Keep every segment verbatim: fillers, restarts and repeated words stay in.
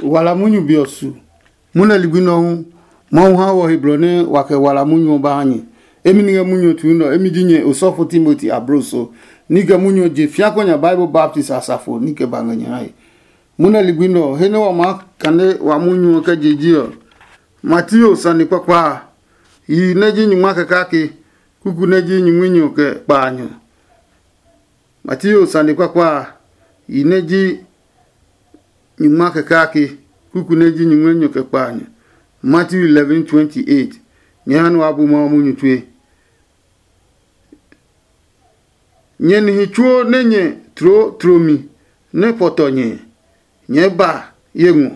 Wala munyu be ɔ su. Munɛ ligbi nɛ ɔ hu, Mawu ha wɔ he blɔ nɛ wa kɛ wala munyu ɔ ba ha nyɛ. Emi ni ngɛ munyu ɔ tue nɛ ɔ, emi ji nyɛ osɔfo Timoti abloso, ni kɛ munyu ɔ je fiakɔ nya Bible baptist asafo ni kɛ ba ngɛ nyɛ hae. Munɛ ligbi nɛ ɔ, he nɛ wa maa kane wa munyu ɔ kɛ je ji ɔ, Mateo sane kpakpa a, yi nɛ ji nyingma kɛ kake, kuku nɛ ji nyingmi nyɔ kɛ kpaanyɔ. Mateo sane kpakpa a, yi nɛ ji nyingma kɛ kake, kuku nɛ ji nyingmi nyɔ kɛ kpaanyɔ. Matthew eleven twenty eight. Nyɛ ha nɛ wa bu Mawu munyu tue. Nyɛ nihi tsuo nɛ nyɛ tloo tlomi nɛ pɔtɔ nyɛ, nyɛɛ ba ye ngɔ,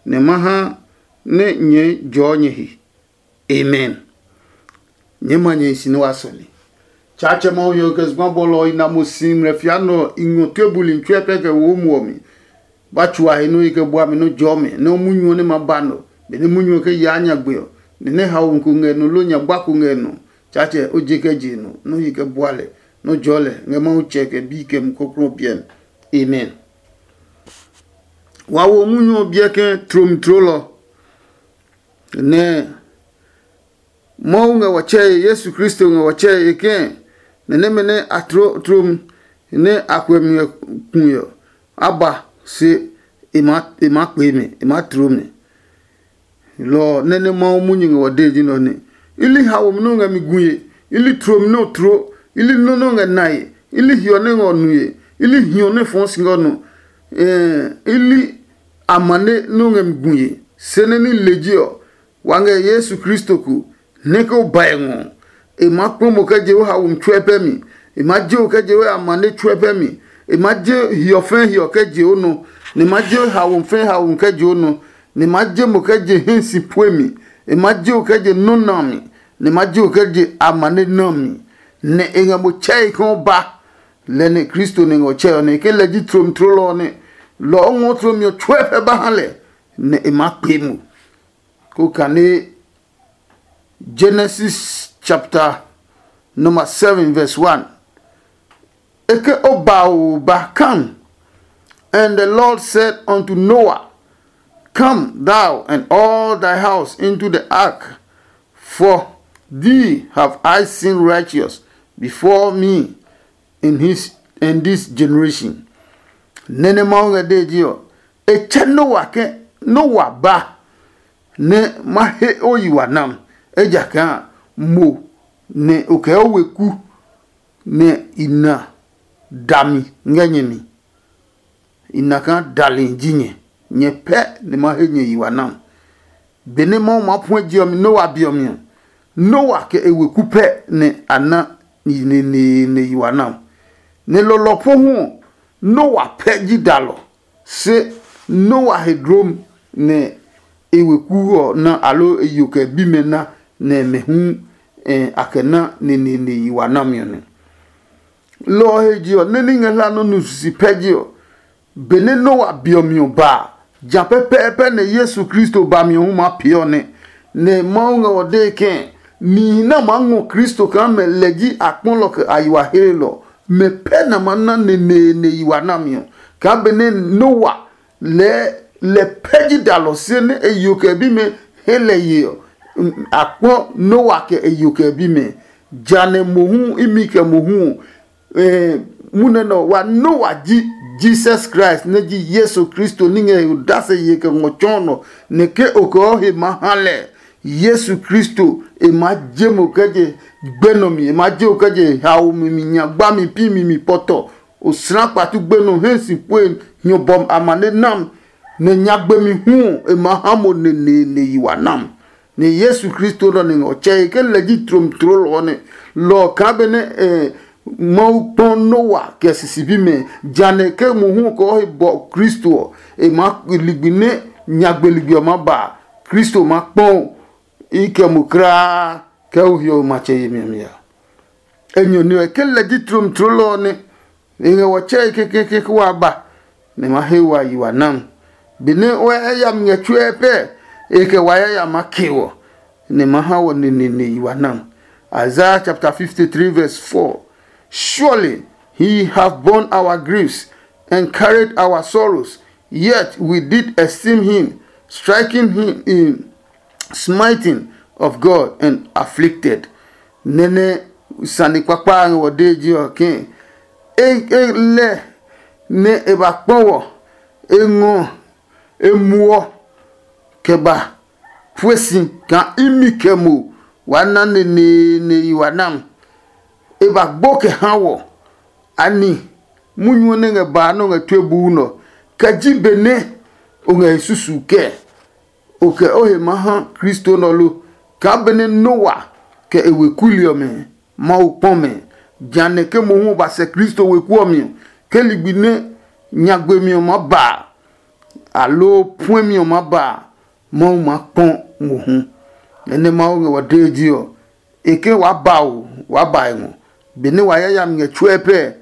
nɛ ma ha nɛ nyɛɛ jɔɔ nyɛ he. Amen. Nyɛɛ ma nyɛ hi si nɛ wa sɔle. Tsaatsɛ Mawu ɔ kɛ zugba bɔlɔ ɔ i na mo si ngmlɛ fia nɛ ɔ, i ngɔ tue buli tsuɛ pɛ kɛ wo muɔ mi. Ba tsu a he nɛ o yi kɛ bua mi nɔ́ jɔɔ mɛ nɛ o munyu ɔ nɛ ma ba nɔ, benɛ munyu ɔ kɛ yaa nyagbe ɔ, nɛ nɛ haomi ko ngɛ nɔ loo nyagba ko ngɛ nɔ. Tsaatsɛ o je kɛ je nɔ nɛ o yi kɛ bua lɛ nɛ o jɔɔ lɛ ngɛ Mawu Tsɛ kɛ Bi kɛ Mumi Klɔuklɔu ɔ piɛ mi. Amen. Wa wo munyu ɔ biɛ ke tlomi tlolɔ nɛ Mawu ngɛ wɔ tsɛe, Yesu Kristo ngɛ wɔ tsɛe e kɛ̃ nɛ nɛmɛ nɛ a tloo tlomi nɛ a kuɛ mi ngɛ kue ɔ, a ba se e maa kpee mɛ, e maa tloo mɛ. Lɔ ɔ nɛ nɛ Mawu munyu ngɛ wɔ dee ji nɛ ɔ nɛ. I li haomi nɛ o ngɛ mi gue, i li tlomi nɛ o tloo, i li nɔ́ nɛ o ngɛ nae, i li hiɔ nɛ ngɛ o nue, i li hiɔ nɛ fɔɔ si ngɛ o nɔ, i li amane nɛ o ngɛ mi gue. Se nɛ ní lejɛ ɔ, wa ngɛ Yesu Kristo ko, nɛ ke o bae ngɔ ɔ, e maa kpɔ mo kɛ je o haomi tsuɛ pɛ mi. E maa je o kɛ je o amane tsuɛ pɛ mi. E maa je hiɔ fɛɛ hiɔ kɛ je o nɔ, nɛ e maa je haomi fɛɛ haomi kɛ je o nɔ, nɛ e maa je mo kɛ je hɛ si pue mi. E maa je o kɛ je nɔ́ na mi, nɛ e maa je o kɛ je amane na mi. Nɛ e ngɛ mo tsɛe kaa o ba. Lɛ nɛ Kristo nɛ ngɛ o tsɛe ɔ nɛ e ke lɛ ji tlomi tlolɔ ɔ nɛ lɔ ɔ ngɔɔ tlomi ɔ tsuɛ pɛ ba ha lɛ, nɛ e maa kpee mo. Ko kane Genesis chapter number seven verse one. Eke o ba o ba, come. And the Lord said unto Noah, come thou and all thy house into the ark, for thee have I seen righteous before me in his in this generation. Nene Mawu ngɛ dee ji ɔ, e tsɛ Noah ke Noah ba nɛ ma he o yi wa nam, ejakaa mo nɛ o kɛ o weku nɛ i na dami ngɛ nyɛ mi. I na kaa dali ji nyɛ, nyɛ pɛ nɛ ma he nyɛ yi wa nam. Benɛ Mawu maa puɛ je ɔ mi Noa be ɔ mi ɔ, Noa kɛ e weku pɛ nɛ a na yi neneene yi wa nam. Nɛ lɔlɔ po hu ɔ, Noa pɛ ji dalɔ. Se Noa he dlom nɛ e weku ɔ na, aloo e yo kɛ bimɛ na, nɛ mɛ hu a kɛ na neneene yi wa nami ɔ nɛ. Lɔ ɔ he je ɔ, nɛ ní ngɛ hla nɔ́ nu sisi pɛ je ɔ, benɛ Noa be ɔ mi ɔ ba a, ja pɛpɛɛpɛ nɛ Yesu Kristo ba mi ɔ hu maa pee ɔ nɛ. Nɛ Mawu ngɛ ɔ dee kɛ̃, nihi nɛ a maa ngɔ Kristo kaa mɛ lɛ ji akpɔlɔ kɛ a yi wa hlelɔ, mɛ pɛ nɛ a maa na neneene yi wa nami ɔ. Kaa benɛ Noa lɛɛ lɛ pɛ ji dalɔ se nɛ e yo kɛ bimɛ he lɛ ye ɔ, a kpɔ Noa kɛ e yo kɛ bimɛ. Ja nɛ mohu imi kɛ mohu ɔ, munɛ nɛ wa Noa ji Jesus Christ nɛ ji Yesu Kristo ní ngɛ he odase ye kɛ ngɔ tsɔɔ nɔ, nɛ ke o kɛ ɔ he maa ha lɛ. Yesu Kristo e maa je mo kɛ je gbɛ nɔ mi, e maa je o kɛ je haomi mi, nyagbami pi mi mi pɔtɔ, osra kpatu gbenɔ hɛ si pue hiɔ bɔm amane nam, nɛ nyagbemi hu ɔ e maa ha mo neneene yi wa nam. Nɛ Yesu Kristo nɔ ni ngɛ ɔ tsɛe ke lɛ ji tlomi tloo lɔ ɔ nɛ. Lɔ ɔ kaa benɛ Mawu kpɔ Noa kɛ sisi bimɛ, ja nɛ ke mohu ɔ kɔɔ he bɔ Kristo ɔ, e maa ligbi nɛ nyagbe ligbi ɔ maa ba. Kristo ma kpɔ i kɛ mo kulaa kɛ o hiɔwe matsɛ yemi ɔ mi a. Enyɔ ni ɔ ke lɛ ji tlomi tloo lɔ ɔ nɛ e ngɛ wɔ tsɛe kekeke ke wa ba, nɛ ma he wa yi wa nam. Benɛ o yayami ngɛ tsuɛ pɛ, e kɛ wa yayami ma ke wɔ, nɛ ma ha wɔ neneene yi wa nam. Isaiah chapter fifty-three verse four. Surely he have borne our griefs and carried our sorrows. Yet we did esteem him, striking him in smiting of God and afflicted. Nɛnɛ sane kpakpa a ngɛ wɔ dee ji ɔ ke e e lɛ nɛ e ba kpɔ wɔ, e ngɔ, e muɔ kɛ ba pue si kaa imi kɛ mo wa na neneene yi wa nam. E ba gbo kɛ ha wɔ. Ani munyu ɔ nɛ ngɛ baa nɛ o ngɛ tue buu nɔ kɛ ji benɛ o ngɛ he susu kɛɛ? O kɛ o he maa ha Kristo nɔ lo? Kaa benɛ Noa kɛ e weku li ɔmɛ Mawu kpɔ mɛ, jehanɛ ke mohu o ba sɛ Kristo weku ɔ mi ɔ, ke ligbi nɛ nyagbe mi ɔ maa ba a, aloo puɛmi ɔ maa ba a, Mawu maa kpɔ mohu. Nɛ nɛ Mawu ngɛ wɔ dee ji ɔ, e ke waa ba o, waa ba e ngɔ. Benɛ wa yayami ngɛ tsuɛ pɛ,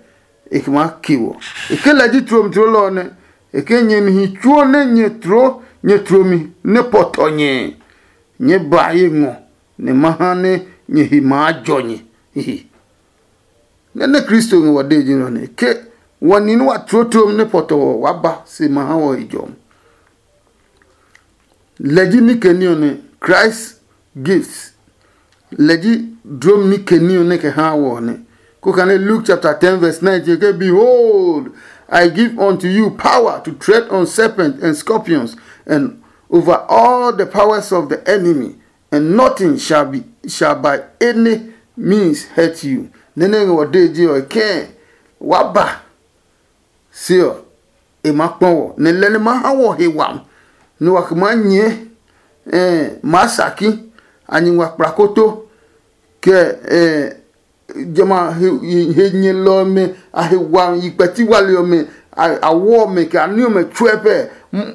e ke maa ke wɔ. E ke lɛ ji tlomi tloo lɛ ɔ nɛ, e ke nyɛ nihi tsuo nɛ nyɛ tloo nyɛ tlomi nɛ pɔtɔ nyɛ, nyɛɛ ba ye ngɔ, nɛ ma ha nɛ nyɛ he maa jɔ nyɛ. Hihi. Nɛ nɛ Kristo ngɛ wɔ dee ji nɔ nɛ ke wɔ ni nɛ wa tloo tlomi nɛ pɔtɔ ɔ, waa ba se ma ha wɔ he jɔmi. Lɛ ji ní kɛ ní ɔ nɛ, Christ gives. Lɛ ji dlom ní kɛ ní ɔ nɛ kɛ haa wɔ ɔ nɛ. Ko kane Luke chapter ten verse nineteen ke, "Behold, I give unto you power to tread on serpents and scorpions and over all the powers of the enemy, and nothing shall be shall by any means hurt you." Nɛ́ nɛ ngɛ wɔ dee je ɔ, e kɛɛ, waa ba se ɔ, e maa kpɔ wɔ, nɛ lɛ nɛ maa ha wɔ he wami, nɛ wa kɛ maa nyɛɛ, maa saki, a nyɛ ngua kplakoto, kɛ jamɛ a he nyɛlɔ ɔmɛ a he wami, yi kpɛti wali ɔmɛ, a wɔ ɔmɛ, kɛ a ní ɔmɛ tsuɛ pɛ.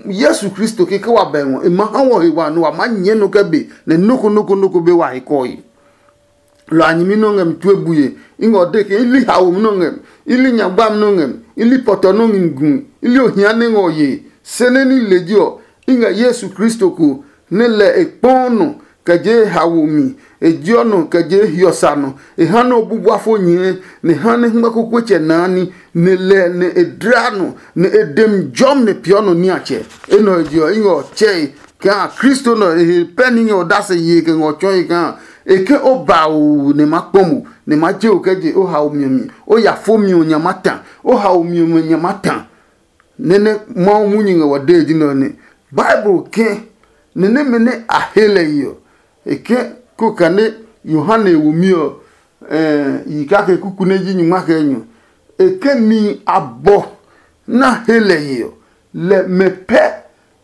Yesu Kristo keke wa bɛ ngɔ, e ma ha wɔ he wami, nɛ wa maa nyɛɛ nɔ kɛ be, nɛ nɔ́ ko nɔ́ ko nɔ́ ko be wa he kɔe. Lɔ a nyɛmi nɛ o ngɛ mi tue bue. I ngɛ o de ke i li haomi nɛ o ngɛ mi, i li nyagbami nɛ o ngɛ mi, i li pɔtɔ nɛ o ngɛ mi gu mi, i li ohia nɛ ngɛ o ye. Se nɛ ní lejɛ ɔ, i ngɛ Yesu Kristo ko nɛ lɛ e kpɔɔ nɔ kɛ je e haomi, e jeɔ nɔ kɛ je e hiɔ sa nɔ, e ha nɛ o bu bua fo nyɛɛ, nɛ e ha nɛ hɛngmɛ kukue tsɛ naa ní, nɛ lɛ nɛ e dla nɔ, nɛ e de mi jɔmi nɛ peeɔ nɔ niatsɛ. Enɛ ɔ he je ɔ, i ngɛ o tsɛe kaa Kristo nɛ ɔ he pɛ ní ngɛ odase yee kɛ ngɛ o tsɔɔe kaa e ke o ba o nɛ ma kpɔ mo, nɛ ma je o kɛ je o haomi ɔ mi, o ya fo mi ɔ nya ma ta, o haomi ɔmɛ nya ma ta. Nɛ nɛ Mawu munyu ngɛ wɔ dee ji nɛ ɔ nɛ. Bible kɛ nɛ nɛmɛ nɛ a he lɛ yi ɔ, e kɛ ko kane Yohane womi ɔ, yi kake kuku nɛ ji nyuma kɛ enyɔ. E ke nihi abɔ nɛ a he lɛ he ɔ, lɛ mɛ pɛ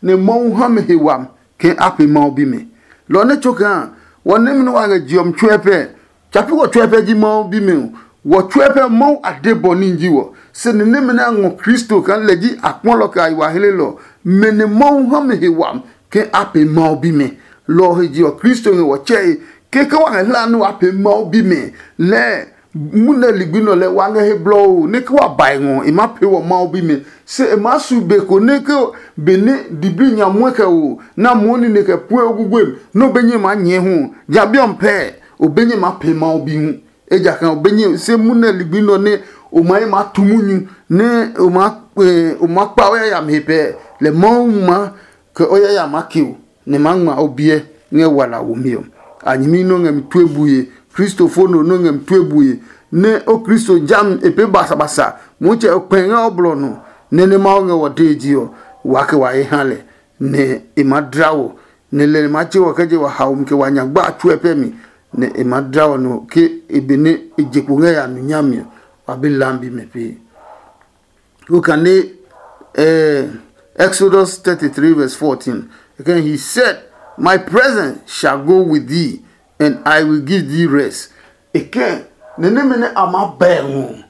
nɛ Mawu ha mɛ he wami ke a pee Mawu bimɛ. Lɔ ɔ nɛ tso kaa wɔ nɛmɛ nɛ wa ngɛ je ɔ mi tsuɛ pɛ, tsa pi wɔ tsuɛ pɛ ji Mawu bimɛ ɔ, wɔ tsuɛ pɛ Mawu a de bɔ ní ji wɔ. Se ni nɛmɛ nɛ a ngɔ Kristo kaa lɛ ji a kpɔlɔ kɛ a yi wa hlelɔ, mɛ nɛ Mawu ha mɛ he wami ke a pee Mawu bimɛ. Lɔ ɔ he je ɔ, Kristo ngɛ wɔ tsɛe keke wa ngɛ hlaa nɛ wa pee Mawu bimɛ. Lɛɛ munɛ ligbi nɔ lɛ wa ngɛ he blɔɔ nɛ ke wa bae ngɔ e maa pee wɔ Mawu bimɛ. Se e maa su be ko nɛ ke benɛ diblii nya muɛ kɛ wo nɛ a muɔ nine kɛ pue oguguemi nɛ o be nyɛ maa nyɛɛ hu, ja bi ɔ pɛɛ o be nyɛ maa pee Mawu bi hu. Ejakaa o be nyɛ se munɛ ligbi nɔ nɛ o maa yi maa tu munyu nɛ o maa o maa kpa o yayami he pɛɛ, lɛ Mawu maa kɛ o yayami ake o, nɛ maa ngma o biɛ ngɛ wala womi ɔ. A nyɛmi nɛ o ngɛ mi tue bue, kristofo no nɛ o ngɛ mi tue bue, nɛ o Kristo jami e pee basabasa, Motsɛ o kpɛe ngɛ o blɔ nɔ, nɛ nɛ Mawu ngɛ wɔ dee je ɔ, waa kɛ wa he ha lɛ, nɛ e maa dla wɔ, nɛ lɛ e maa tse wɔ kɛ je wa haomi kɛ wa nya gba a tsuɛ pɛ mi, nɛ e maa dla wɔ nɔ ke e be nɛ e je kpo ngɛ ya nu nyami ɔ, wa be lambi mɛ pee. Look at eh, Exodus thirty-three verse fourteen. Again, he said, "My presence shall go with thee, and I will give thee rest." Again, nɛ nɛmɛ nɛ a maa bɛɛ ngɔ.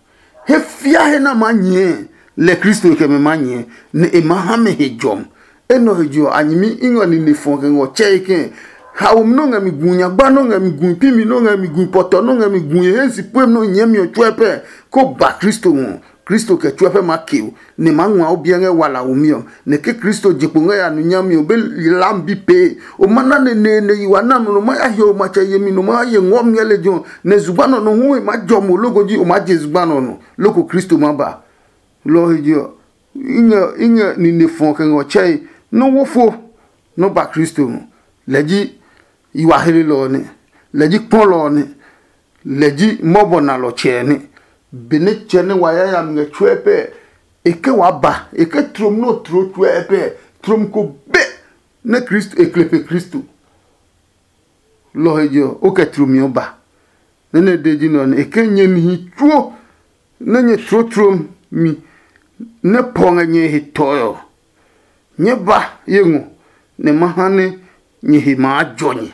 He fia he nɛ a maa nyɛɛ, lɛ Kristo kɛ mɛ maa nyɛɛ, nɛ e maa ha mɛ he jɔmi. Enɛ ɔ he je ɔ, a nyɛmi i ngɔ nine fɔ kɛ ngɔ tsɛe kɛ̃. Haomi nɛ o ngɛ mi gu, nyagba nɛ o ngɛ mi gu, pimi nɛ o ngɛ mi gu, pɔtɔ nɛ o ngɛ mi gu, e he si puemi nɛ o nyɛɛ mi ɔ tsuɛ pɛ, ko ba Kristo ngɔ. Kristo kɛ tsuɛ pɛ maa ke o, nɛ e maa ngua o biɛ ngɛ wala womi ɔ, nɛ ke Kristo je kpo ngɛ ya nu nyami ɔ, o be ylaa mi bi pee. O ma na neneene yi wa nami nɔ, o ma ya hiɔ o matsɛ yemi nɔ, o ma ya ye ngɔɔ mi ngɛ lejɛ ɔ, nɛ zugba nɔ nɔ hu e maa jɔ mo loko ji o maa je zugba nɔ nɔ, loko Kristo ma ba. Lɔ ɔ he je ɔ, I ngɛ i ngɛ nine fɔ kɛ ngɔ tsɛe nɔ́ wo fo nɔ́ ba Kristo ngɔ. Lɛ ji yiwa helelɔ ɔ nɛ, lɛ ji kpɔlɔ ɔ nɛ, lɛ ji mɔbɔ nalɔ tsɛ ɔ nɛ. Benɛ tsɛ nɛ wa yayami ngɛ tsuɛ pɛ, e ke waa ba, e ke tlom nɛ o tloo tsuɛ pɛ, tlom ko be nɛ Kristo e kle pe Kristo. Lɔ he je ɔ, o kɛ tlomi ɔ ba. Nɛ nɛ de ji nɛ ɔ nɛ e ke nyɛ nihi tsuo nɛ nyɛ tloo tlom mi nɛ pɔ ngɛ nyɛ he tɔe ɔ, nyɛɛ ba ye ngɔ nɛ ma ha nɛ nyɛ he maa jɔ nyɛ.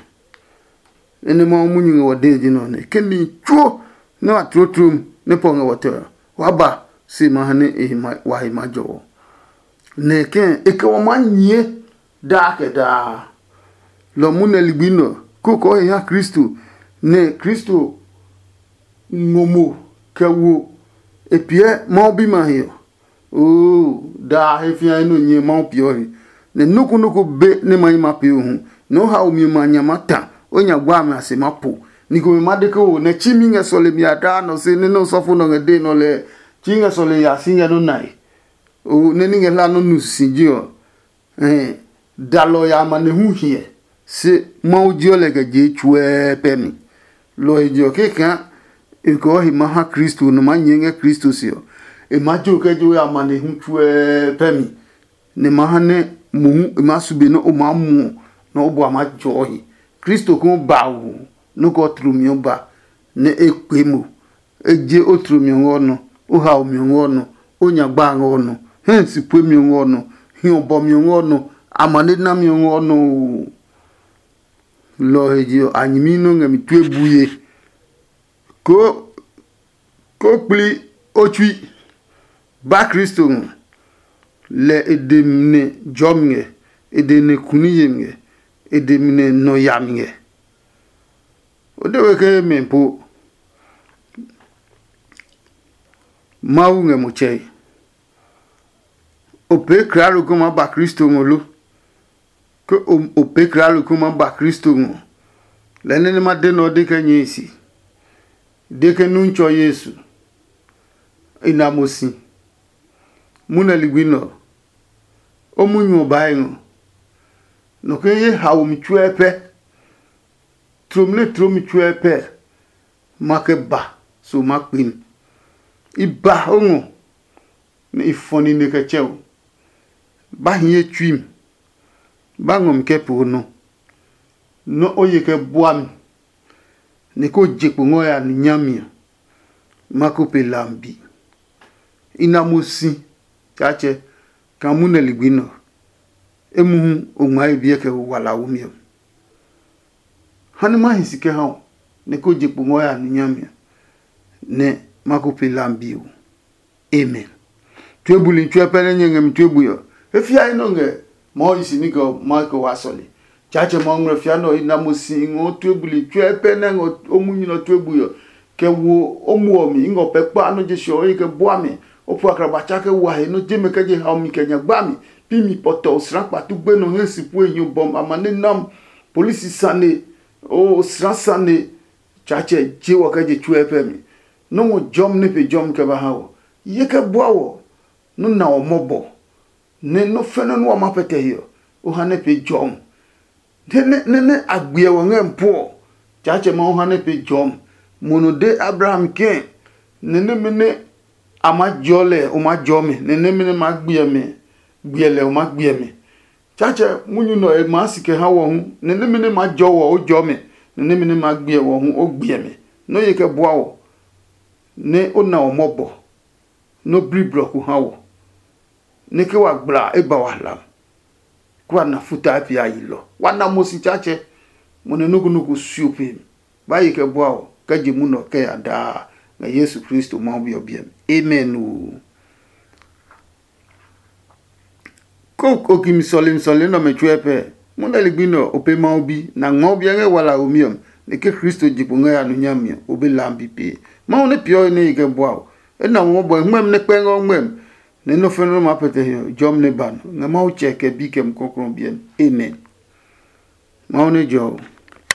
Nɛ nɛ Mawu munyu ngɛ wɔ dee ji nɛ ɔ nɛ ke nihi tsuo nɛ wa tloo tlom nɛ pɔ ngɛ wɔ tɔe ɔ, waa ba se ma ha nɛ e he ma- wa he maa jɔ wɔ. Nɛ kɛ̃ e kɛ wɔ maa nyɛɛ daa kɛ daa. Lɔ mohu nɛ ligbi nɛ ɔ, kókó he ha Kristo, nɛ Kristo ngɔ mo kɛ wo e piɛ Mawu bimɛ a he ɔ. Oo, daa he fĩa nɛ o nyɛ Mawu peeɔ he, nɛ nɔ́ ko nɔ́ ko be nɛ ma yi ma pee o hu, nɛ o hao mi ɔmɛ a nya maa ta, o nya gua amɛ a se maa po. Ni komɛ ma de ke o nɛ tsimi ngɛ sɔlemi a daa nɔ se nɛ nɛ osɔfo nɔ ngɛ dee nɔ lɛɛ, tsimi ngɛ sɔlemi a si ngɛ nɔ́ nae. O nɛ ní ngɛ hla nɔ́ nu sisije ɔ, Ɛɛ, dalɔ ya amanehlu hiɛ, se Mawu jeɔ lɛ kɛ je tsuɛɛ pɛ mi. Lɔ he je ɔ, kɛkɛa e kɔɔ he ma ha Kristo nɔ maa nyɛɛ ngɛ Kristo se ɔ, e maa jo kɛ jo ya amanehlu tsuɛɛ pɛ mi, nɛ ma ha nɛ mohu e maa su be nɛ o maa muɔ nɛ o bua maa jɔɔ he. Kristo ko ba wu nɔ́ kɛ ɔ tlumi ɔ ba, nɛ e kpee mo. E je o tlumi ɔ ngɛ ɔ nɔ, o hao mi ɔ ngɛ ɔ nɔ, o nyagba a ngɛ ɔ nɔ, hɛ si pue mi ɔ ngɛ ɔ nɔ, hiɔ bɔ mi ɔ ngɛ ɔ nɔ, amane na mi ɔ ngɛ ɔ nɔ oo. Lɔ ɔ he je ɔ, a nyɛmi nɛ o ngɛ mi tue buye. Ko ko kpli o tsui, ba Kristo ngɔ, lɛ e de mi nɛ jɔmi ngɛ, e de mi nɛ kuni yemi ngɛ, e de mi nɛ nɔ yami ngɛ. O de we ke mɛ po Mawu ngɛ mo tsɛe. O pee kralo ko maa ba Kristo ngɔ lo? Ke o o pee kralo ko maa ba Kristo ngɔ, lɛɛ nɛ nɛ ma de nɛ ɔ de kɛ nyɛe si. De ke nu tsɔ Yesu, i na mo si. Munɛ ligbi nɛ ɔ, o munyu ɔ baa e ngɔ. Nɔ ke ye haomi tsuɛ pɛ, tlomle tloomi tsuɛ pɛ, ma kɛ ba so ma kpe mi. I ba o ngɔ, nɛ i fɔ nine kɛ tsɛ o. Ba hiɛ tsui mi, ba ngɔ mi kɛ poo nɔ, nɔ́ o ye kɛ bua mi, nɛ ko je kpo ngɔ ya nu nyami ɔ, ma ko pe lambi. I na mo si, Tsaatsɛ, kaa munɛ ligbi nɛ ɔ, emuhu o ngmaa ye biɛ kɛ ho walaomi ɔ. Ha nɛ ma hi si kɛ ha o, nɛ ko je kpo ngɔ ya nu nyami ɔ, nɛ ma ko pe lambi ɔ. Amen. Tue buli tsuɛ pɛ nɛ nyɛ ngɛ mi tue bui ɔ, e fia nɔ ngɛ Mawu yi si ní kɛ ɔ ma kɛ wa sɔle. Tsaatsɛ Mawu ngmlɛ fia nɛ ɔ, i na mo si i ngɔ o tue buli tsuɛ pɛ nɛ ngɔ o munyu nɛ ɔ tue bui ɔ, kɛ wo o muɔ mi i ngɔ pɛ kpa nɔ je sɔ o yi kɛ bua mi. O pu akraba tsa kɛ wa he nɔ je mɛ kɛ je hao mi kɛ nya gba mi. Pi mi pɔtɔ osra kpatu gbe nɔ he si pue nyo bɔm amane nam. Polisi sane, o osra sane. Tsaatsɛ je wɔ kɛ je tsuɛ pɛ mi. Nɔ́ ngɔ jɔmi nɛ pe jɔmi kɛ ba ha wɔ. Ye kɛ bua wɔ, nɔ́ na wɔ mɔbɔ, nɛ nɔ́ fɛnɛ nɛ wa ma pɛtɛ he ɔ, o ha nɛ pe jɔmi. Nɛ nɛ a gbiɛ wɔ ngɛ mi puɔ, Tsaatsɛ Mawu ha nɛ pe jɔmi. Mo nɔ de Abraham kɛ̃, nɛ nɛmɛ nɛ a maa jɔɔ lɛ o maa jɔɔ mi, nɛ nɛmɛ nɛ maa gbiɛ mi gbiɛ lɛ o maa gbiɛ mi. Tsaatsɛ munyu nɛ ɔ e maa si kɛ ha wɔ hu, nɛ nɛmɛ nɛ maa jɔɔ wɔ o jɔɔ mi, nɛ nɛmɛ nɛ maa gbiɛ wɔ hu o gbiɛ mi. Nɔ́ ye kɛ bua wɔ, nɛ o na wɔ mɔbɔ, nɛ o bli blɔ ko ha wɔ, nɛ ke wa gbla e ba wa hlam, kɛ wa na futa e pee a yi lɔ. Wa na mo si Tsaatsɛ, mo nɛ nɔ́ ko nɔ́ ko suo pe mi. Ba ye kɛ bua wɔ kɛ je munɔ kɛ ya daa ngɛ Yesu Kristo Mawu Bi ɔ biɛ mi. Amen oo. Ko okimi sɔlemi sɔlemi nɛ ɔmɛ tsuɛ pɛ, munɛ ligbi nɛ ɔ, o pe Mawu Bi, nɛ a ngmɔ o biɛ ngɛ wala womi ɔ mi, nɛ ke Kristo je kpo ngɛ ya nu nyami ɔ, o be lam bi pee. Mawu nɛ peeɔ he nɛ ye kɛ bua o. E na mo mɔbɔ ngmɛmi nɛ kpɛ ngɛ o ngmɛmi, nɛ nɔ́ fɛnɛ nɔ́ maa pɛtɛ he ɔ, jɔmi nɛ ba nɔ, ngɛ Mawu Tsɛ kɛ Bi kɛ Mumi Klɔuklɔu ɔ biɛ mi. Amen. Mawu nɛ jɔ o.